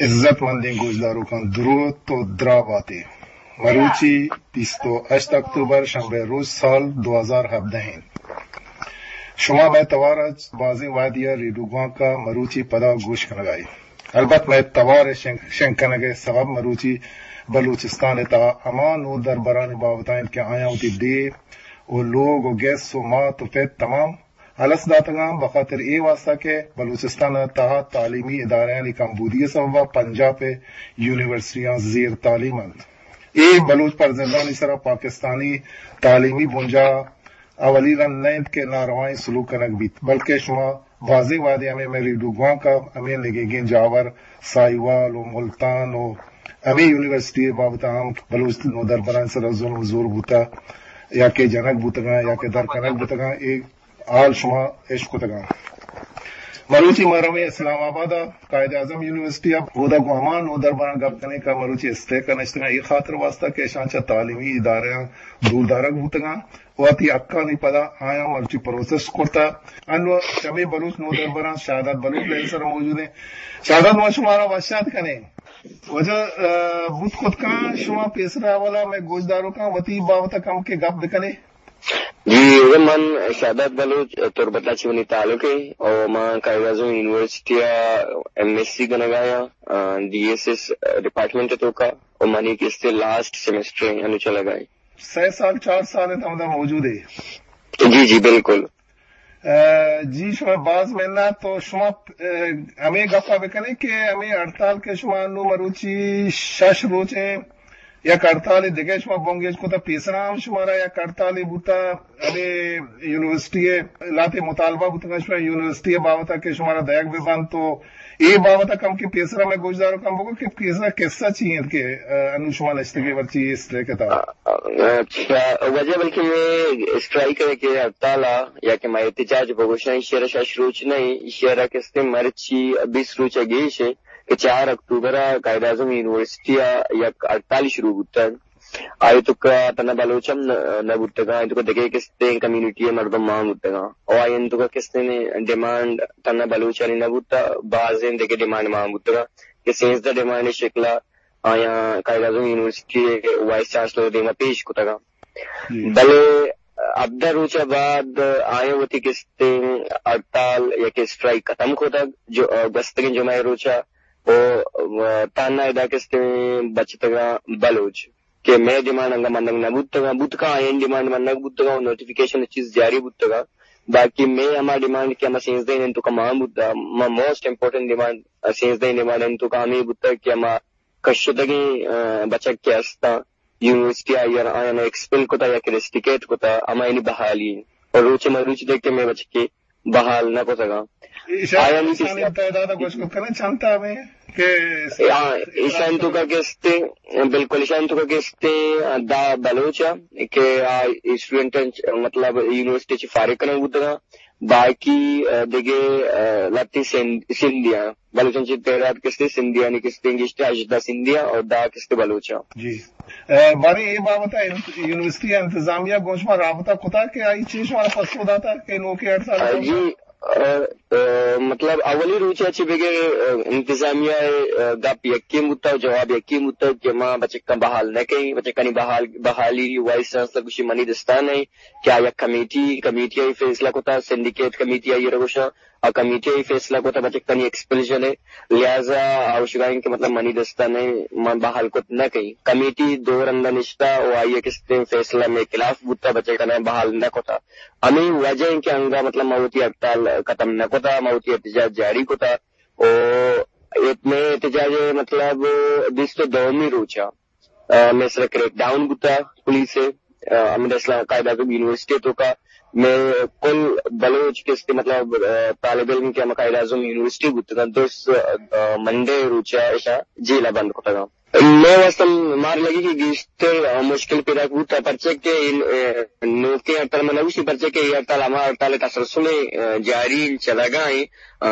عزت مندیں گوشداروکاں دروت و دراہ باتے۔ مروچی بیست و ہشت اکتوبر شنبے روچ سال دو ہزار ہبدہ انت۔ شما مئے توار ء بازیں وہدی ء ریڈیو گوانک ء مروچی پدا گوش کنگ ء ات۔ البت مئے توار ء شنگ، شنگ کنگ ء سبب مروچی بلوچستان ء تہا ہما نودربرانی بابت ء انت کہ آیاں وتی ڈیھ و لوگ و گس و مات و پت تمام الس داتگاں، بخاطر اے واسطہ کہ بلوچستان ء تہا تعلیمی ادارہانی کمبودی ء سبب ء پنجاپ ء یونیورسٹیاں زیر تعلیم انت۔ اے بلوچ فرزندانی سرا پاکستانی تعلیمی بنجاہ اولی رند نہ انت کہ ناروائیں سلوک کنگ بیت، بلکہ شما بازیں وہدے ہمے مئے ریڈیو گوانک ء ہمے نگیگیں جاور ساہیوال و ملتان و ہمے یونیورسٹی ء بابت ء ہم بلوچ نودربرانی سرا ظلم و زور بوتہ یا کہ جنگ بوتگاں یا کہ در کنگ بوتگاں، اے حال شما اش کتگاں۔ مروچی ما رویں اسلام آباد ء قائد اعظم یونیورسٹی ء، اودا گوں ہما نودربراں گپ کنیں کہ مروچی اسٹریک ء نشتگاں، اے خاطر واسطہ کہ اشاں چہ تعلیمی ادارہاں دور دارگ بوتگاں، وتی حقانی پدا آیاں مرچی پروسس کرتا۔ انو چمے بلوچ نودربراں شہداد بلوچ لین سر موجود ہیں۔ شہداد، ما شمارا وشات کنیں۔ واجہ، ا، بوت کت کاں شما پیسرا اولا مئے گوشداروکاں وتی بابت کم کے گپ بکنے۔ جی، من شہداد بلوچ، تربت ء چہ منی تعلق ہے اور ما قائد اعظم یونیورسٹی ء ایم ایس سی کنگا یا، ا، ڈی ایس ایس ڈپارٹمنٹ توکا اور منی کستے لاسٹ سیمسٹر ہے، انو چلگا ہے۔ سہ سال، چار سال انت ہمدا موجود ہے۔ جی، جی، بالکل۔ ا، جی، شما باز منت۔ تو شما، ا، ہمے گپا بکنے کہ ہمے ہڑتال کہ شما انو مروچی شش روچ ہیں، یک ہڑتال دگہ شما بنگیج کتا، پیسرا ہم شمارا یک ہڑتالے بوتا، ہمے یونیورسٹی ء لاتے مطالبہ بوتگا شما یونیورسٹی ء بابت کہ شمارا دئیگ بہ بنت، تو اے بابت ء کم کہ پیسرا مئے گوشداروکاں بگو کہ پیسرا قصہ چی انت کہ، ا، انو شما نشتگے مرچی اے اسٹرائک ء تہا؟ اچھا، وجہ بلکہ مئے اسٹرائک ء کہ ہڑتال ء یا کہ مئے احتجاج بگوشاں، ایشی ء را شش روچ نہ، ایشی ء را کستے مرچی بیست روچ ء گیش ہے کہ چار اکتوبر ء قائد اعظم یونیورسٹی ء یک ہڑتال شروع بوتگ۔ آئی توکا تنا بلوچ ہم نہ، نہ بوتگاں، آئی توکا دگہ کستیں کمیونٹی ء مردم مان بوتگاں۔ او آئی توکا کستیں ڈیمانڈ تنا بلوچانی نہ بوتا، بازیں دگہ ڈیمانڈ مان بوتگاں کہ سیزدہ ڈیمانڈ شکلا آیاں قائد اعظم یونیورسٹی ء وائس چانسلر ء دیما پیش کتگاں۔ جی۔ بلے ہبدہ روچ ء بعد آیاں وتی کستیں ہڑتال یا کہ اسٹرائک ختم کتگ، جو، گوستگیں جمعہ ء روچ ء او تہنا ادا کستیں بچتگاں بلوچ کہ مئے ڈیمانڈ انگا منگ نہ بوتگاں، بوتگاں آیانی ڈیمانڈ منگ بوتگاں و نوٹیفکیشن چیز جاری بوتگاں۔ باقی مئے ہما ڈیمانڈ کہ ہما سیزدہ انت توکا مان بوتا، ما موسٹ امپورٹنٹ ڈیمانڈ، سیزدہ ڈیمانڈ انت توکا ہمے بوتا کہ ہما کشتگیں، آ، بچک کہ استاں یونیورسٹی آئی آیاں ایکسپل کتا یا کہ ریسٹیکیٹ کتا، ہما یعنی بحالی۔ اور روچ مروچ دیکھ کہ مئے بچکے بحال نہ کتگاں۔ ایشان، آیانی ایشانی کسا تعداد گوش کت کنیں چنتا ہمیں کہ اے، آ، ایشان توکا کستے، بالکل ایشان توکا کستے دہ بلوچ آ کہ آ اسٹوڈنٹ، مطلب یونیورسٹی چی فارغ کنگ بوتگاں، باقی، آ، دگہ، آ، لتی سندھ، سندھیاں، بلوچاں چی تعداد کستے سندھیانی کستے گشتے ہژدہ سندھیاں اور دہ کستے بلوچاں۔ جی۔ ء، باریں اے بابت ء انت-، یونیورسٹی ء انتظامیہ گوں شما رابطہ کتا کہ آئی چی شما پسو داتا کہ نوکیں ہڑتال ء؟ جی، ء، ء، مطلب اولی روچ ء چہ بگر، ء، انتظامیہ ء، ء، گپ یکیں بوتا و جواب یکیں بوتا کہ ما بچکاں بحال نہ کئیں، بچکانی بحال، بحالی وائس چانسلر گوشی منی دستان ء کہ آ یک کمیٹی، کمیٹی ء فیصلہ کتا، سنڈیکیٹ کمیٹی ء را گوشاں، آ کمیٹی ء فیصلہ کتا بچکانی ایکسپلشن ء، لہذا آ گوشگا انت کہ مطلب منی دستا نہ، من بحال کت نہ کئیں۔ کمیٹی دو رندا نشتا و آئی ء کستیں فیصلہ مئے خلاف بوتا، بچکانا بحال نہ کتا۔ ہمے وجہ انت کہ انگا مطلب ما وتی ہڑتال ختم نہ کتا، ما وتی احتجاج جاری کتا و مئے احتجاج مطلب بیست و دومی روچا ء، مئے سرا کریک ڈاؤن بوتا پولیس ء، ء، ہمدا اسلام قائد اعظم یونیورسٹی توکا مئے کل بلوچ کستے مطلب، ء، طالب علم کہ ہما قائد اعظم یونیورسٹی بوتگاں، درست، ء، منڈے روچا اشاں جیل ء بند کتگاں۔ مئے واستہ مارا لگی کہ گیشتر مشکل پیداک بوتا، پرچہ کہ اے نوکیں ہڑتال من نہ گوشی، پرچہ کہ اے ہڑتال ہما ہڑتال تسلسل ءَ جاری انت، چلگا انت، آ،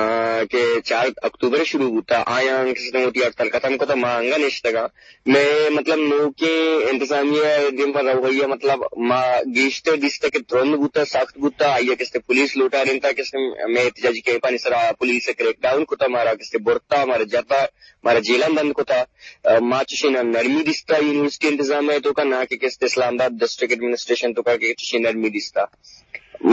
کہ چار اکتوبر شروع بوتا، آیاں کسے وتی ہڑتال ختم کتا، ما انگا نشتگاں۔ مئے مطلب نوکیں انتظامیہ دیما رویہ، مطلب ما گیشتر دیستہ کہ ترند بوتا، سخت بوتا، آئیا کسے پولیس لوٹارینتا، کسے مئے احتجاجی کیمپانی سرا پولیس کریک ڈاؤن کتا، مارا کسے برتا، مارا جتا، مارا جیلاں بند کتا۔ آ، ما چشیں نرمی دیستا یونیورسٹی انتظامیہ توکا، نہ کہ کسے اسلام آباد ڈسٹرکٹ ایڈمنسٹریشن توکا کہ چشیں نرمی دیستا۔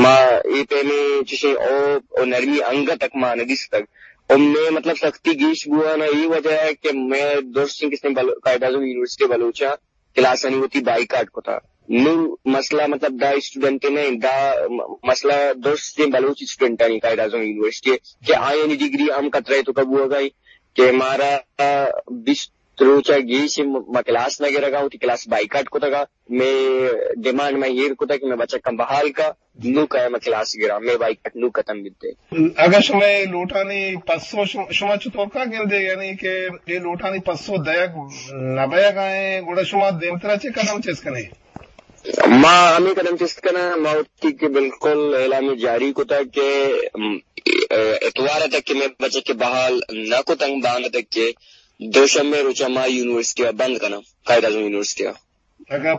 ما اے پیمیں چشیں او، او نرمی انگت تک ما نہ دیستگ۔ او مئے مطلب سختی گیش بوہان ءِ اے وجہ ءَ کہ مئے درستیں کسے بل-، قائد اعظم یونیورسٹی بلوچاں کلاسانی وتی بائیکاٹ کتا۔ نوں مسئلہ مطلب دا اسٹوڈنٹ نہ انت، دا م-، مسئلہ درستیں بلوچ اسٹوڈنٹانی قائد اعظم یونیورسٹی ءِ کہ آیانی ڈگری ہم خطرہ ءِ توکا بوہگا انت کہ مارا بیست روچ ءَ گیش ما کلاس نہ گرگا، وتی کلاس بائیکاٹ کتگا۔ مئے ڈیمانڈ ما ایر کتگ کہ مئے بچکاں بحال کا، نوں کئے ما کلاس گراں، مئے بائیکاٹ نوں ختم بیت۔ اگاں شمئے لوٹانی پسو شم-، شما چطور کا گندے، یعنی کہ اے لوٹانی پسو دئیگ نہ بئیگا ایں، گڑا شما دیمترا چے قدم چست کنے؟ ما ہمے قدم چست کناں، ما وتی کہ بالکل اعلان جاری کتا کہ، ام، اتوار تک کہ مئے بچک بحال نہ کتنگ، بانگ تک کہ دوشنبے روچا ما یونیورسٹی ءَ بند کناں، قائد اعظم یونیورسٹی ءَ۔ اگاں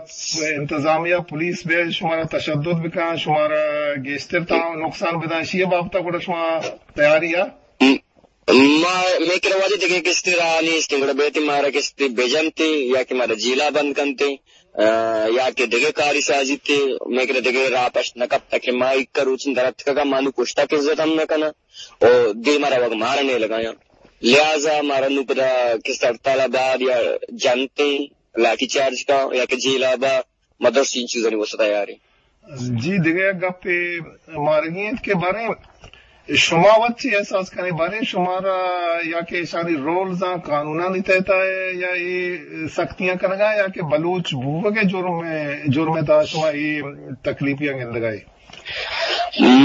انتظامیہ پولیس بہ شمارا تشدد بکن، شمارا گیشتر تا نقصان بدن، اشی بابت گڑا شما تیاری ءَ؟ م-، ما، مئے کرا واجہ دگہ کستے راہ نیست، گڑا بیت مارا کستے بجنتے یا کہ مارا جیلا بند کنتے، آ، یا کہ دگہ کاری سازیتے، مئے کرا دگہ راہ پشت نہ کپتا کہ ما ایک روچن درتکگا مانو کشتا کہ عزت ہم نہ کنا، او دیما روگ مارا نیلگایاں۔ لہذا مارا نوں پدا کستے ہڑتال ءَ بعد یا جنتے، لاٹھی چارج کا یا کہ جیل ءَ با، ما درستیں چیزانی واستہ تیار ایں۔ جی، دگہ یک گپے مارگی انت کہ باریں شما وت چی احساس کنے، باریں شمارا یا کہ ایشانی رولز آں قانونانی تحت ءَ یا اے سختیاں کنگا یا کہ بلوچ بوگ ءِ جرم، جرم ءِ تہا شما اے تکلیفیاں گندگا اے؟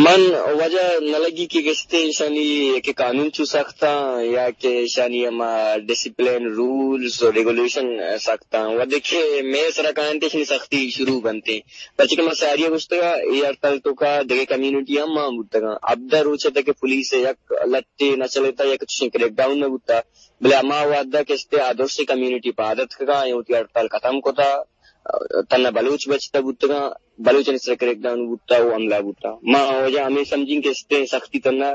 من واجہ نہ لگی کہ گشتے ایشانی کہ قانون چو سخت آں یا کہ ایشانی ہما ڈسپلین، رولز و ریگولیشن سخت آں۔ و دگہ مئے سرا کاینت ایشانی سختی شروع بنتے۔ پرچہ کہ ما ساری ءَ گوشتگا اے ہڑتال توکا دگہ کمیونٹی ہم مان بوتگاں۔ ہبدہ روچ ءَ تک کہ پولیس ءَ یک لٹے نہ چلیتا، یک چشیں کریک ڈاؤن نہ بوتا۔ بلے ہما وہدا کہ استے آ درسیں کمیونٹی پاد اتکگا، اے وتی ہڑتال ختم کتا، تنا بلوچ بچتا بوتگاں، بلوچانی سر کریک ڈاؤن بوتا و حملہ بوتا۔ ما وجہ ہمیں سمجھیں کہ استے سختی تنا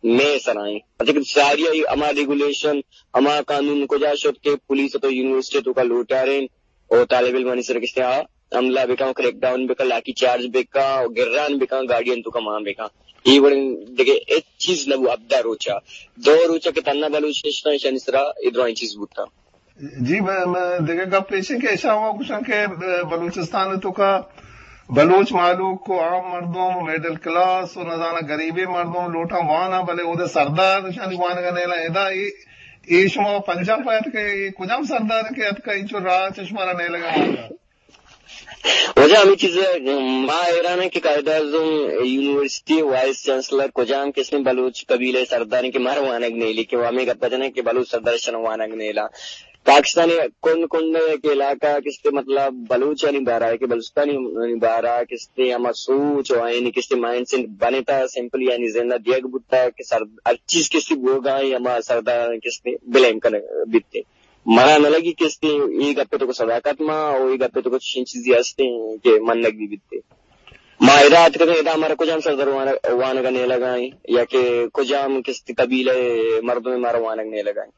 مئے سرا ایں۔ پرچہ کہ ساری ہما ریگولیشن، ہما قانون کجا شت کہ پولیس تو یونیورسٹی توکا لوٹارین او طالب علمانی سر کستے آ حملہ بکن، کریک ڈاؤن بکن، لاٹھی چارج بکن، گران بکن، گاڑیاں توکا مان بکن۔ اے وڑیں دگہ ہچ چیز نہ بو۔ ہبدہ روچا، دو روچا کہ تنا بلوچ نشتاں، ایشانی سرا اے درائیں چیز بوتاں۔ جی، میں، میں دگہ گپ ایش کہ ایشاں ہوا گوشاں کہ، اے، بلوچستان توکا بلوچ مہلوک و عام مردم و مڈل کلاس و نزاناں غریبیں مردم لوٹاں واناں، بلے اودے سردار ایشانی وانگا نیلاں۔ ادا اے، اے شما پنجاب ءَ اتکے، اے کجام سردار کہ اتکا اینچو راہ چہ شمارا نیلگا؟ واجہ ہمے چیز ءَ ما حیران ایں کہ قائد اعظم یونیورسٹی وائس چانسلر کجام قسم بلوچ قبیلہ سردار ایں کہ مارا وانگ نیلی، کہ ہمے گپ جنیں کہ بلوچ سردار شن وانگ نیلا۔ پاکستان کنڈ کنڈ ءَ کہ علاقہ کستے مطلب بلوچانی بارا کہ بلوچستانی بارا کستے ہما سوچ و آیانی کستے مائنڈ سیٹ بنتا، سمپل یعنی زندہ دیگ بوتا کہ سر ہر چیز کستے بوگا ایں، ہما سردار کستے بلیم کنگ بیتے۔ منا نہ لگی کہ استے اے گپ ءِ توکا صداقت ما او اے گپ ءِ توکا چشیں چیزے ہستیں کہ منگ بہ بیتے۔ ما ادا اتکگیں، ادا مارا کجام سردار وانگ، وانگ ءَ نیلگا ایں یا کہ کجام کستے قبیلہ ءِ مردم مارا وانگ نیلگا ایں۔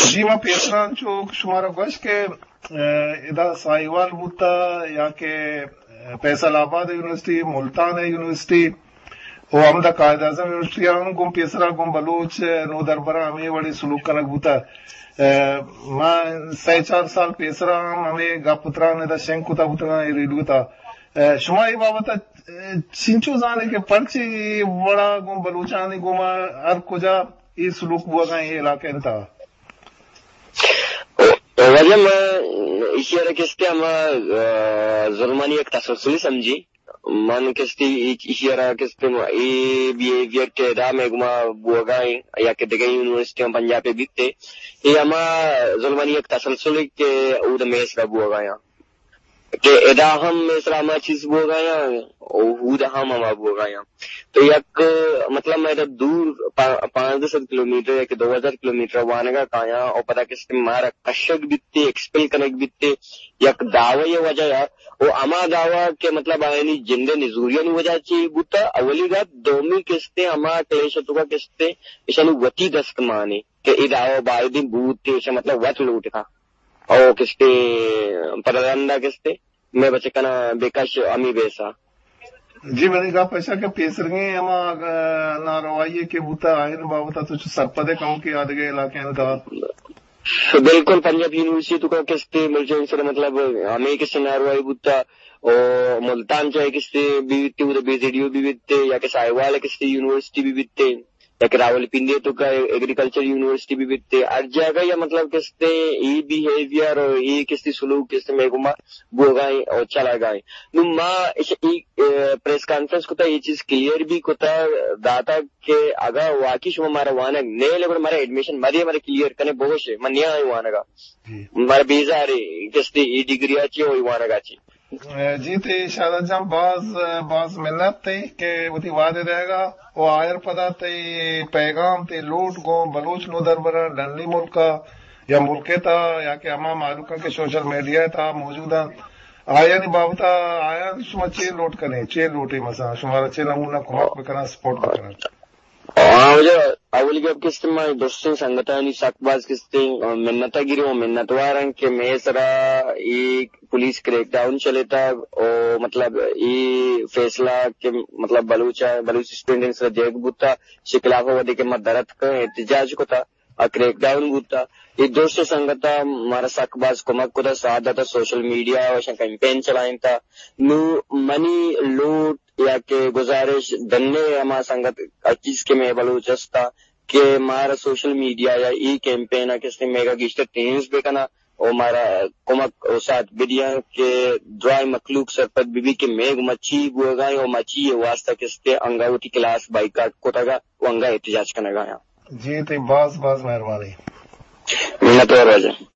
جی، ما پیسرا چو شمارا گوشت کہ، اے، ادا ساہیوال بوتا یا کہ فیصل آباد یونیورسٹی، ملتان یونیورسٹی، و ہمدا قائد اعظم یونیورسٹی ءَ ہم گوں پیسرا گوں بلوچ نودربراں ہمے وڑیں سلوک کنگ بوتگ۔ اے، ما سئے چار سال پیسرا ہم ہمے گپ و تران ادا شنگ کتگ بوتگاں اے ریڈیو ءِ تہا۔ اے، شما اے بابت ءَ، اے، چنچو زانے کہ پرچے اے وڑا گوں بلوچانی گوما ہر کجا اے سلوک بوگا ایں اے علاقہ ءِ تہا؟ واجہ ما ایشی ءَ را کستے ہما، اے، ظلمانی یک تسلسلے سمجھی۔ من کستے ایشی را کستے اے بیہیویئر کہ ادا مئے گما بوگا ایں یا کہ دگہ یونیورسٹی ہم پنجاب ء بیتے، اے ہما ظلمانی یک تسلسل کہ اود مئے سرا بوگا ایں، کہ ادا ہم مئے سرا ہما چیز بوگا ایں، او اود ہم ہما بوگا ایں۔ تو یک، مطلب، مئے دا دور پا-، پانزدہ سد کلومیٹر یا کہ دو ہزار کلومیٹر وانگا کایاں، او پدا کستے مارا کشگ بیتے، ایکسپیل کنگ بیتے، یک دعوی وجہ یا او ہما دعوی کہ، مطلب، آیانی جند ء نزوریانی وجہ چی بوتا، اولی گپ، دومی کستے ہما کلیش توکا کستے ایشانی وتی دست مانے کہ اے دعوی بایدیں بوت، ایشاں، مطلب، وت لوٹتا۔ او کستے پدا رندا کستے مئے بچکنا بکش ہمی بیسا۔ جی، منی گپ ایشا کہ پیسرگیں ہما، اگاں ناروائی کہ بوتا، آئین بابت تو چو سرپدے کم کہ آدگہ علاقے انگا؟ بالکل، پنجاب یونیورسٹی توکا کستے ملچہ سر، مطلب، ہمے کستے ناروائی بوتا، او ملتان چاہے کستے بیتے، اود بی سی ڈی او بیتے، یا کہ ساہیوال کستے یونیورسٹی بیتے، یا کہ راولپنڈی توکا ایگریکلچر یونیورسٹی بیتے، ہر جاگہ یا، مطلب، کستے اے بیہیویئر او اے کستے سلوک کستے مئے گما بوگا ایں او چلگا ایں۔ نو ما اش-، اے، اے، پریس کانفرنس کتا، اے چیز کلیئر بھی کتا داتا کہ اگاں واقعی شما مارا وانگ نیلے، گڑا مارا ایڈمیشن مدے، مارا کلیئر کنے بگوشے، من نیاں وانگا۔ جی۔ مارا بیزارے کستے اے ڈگری آ چی او وانگا چی۔ جی، تے شہزاد جان، باز، باز منت تے کہ وتی وعدے دئیگا و آئر پدا تے پیغام، تے لوٹ گوں بلوچ نودربراں ڈنی ملکا یا ملکے تا یا کہ ہما مہلوکاں کہ سوشل میڈیا تا موجود انت، آیانی بابتا آیاں شما چے لوٹ کنے، چے لوٹے، مثلاً شمارا چے نمونہ کمک بکنن، سپورٹ بکنن؟ ہاں، واجہ، اولی گپ کستے ما درستیں سنگتانی سک باز کستے منت گیریں و منتوار ہیں کہ مئے سرا اے پولیس کریک ڈاؤن چلیتا و، مطلب، اے فیصلہ کہ، مطلب، بلوچ، بلوچ اسٹوڈنٹ سرا دیگ بوتا، شی خلاف ودی کہ ما درت کا احتجاج کتا، آ کریک ڈاؤن بوتا۔ اے درست سنگتا مارا سک باز کمک کتا، ساتھ داتا، سوشل میڈیا و اشاں کیمپین چلائینتا۔ نو منی لوٹ یا کہ گزارش دنے ہما سنگت اچیز کہ مئے بلوچ استا کہ مارا سوشل میڈیا یا ای کیمپین ء کستے مئیگا گیشتر ٹیمز بکنا و مارا کمک و ساتھ بدیاں کہ درائیں مخلوق سرپد بہ بی کہ مئے گما چی بوگا ایں و ما چی ء واسطہ کستے انگا وتی کلاس بائیکاٹ کتگا و انگا احتجاج کنگا آں۔ جی، تئی باز باز مہربانی۔ منتوار واجہ۔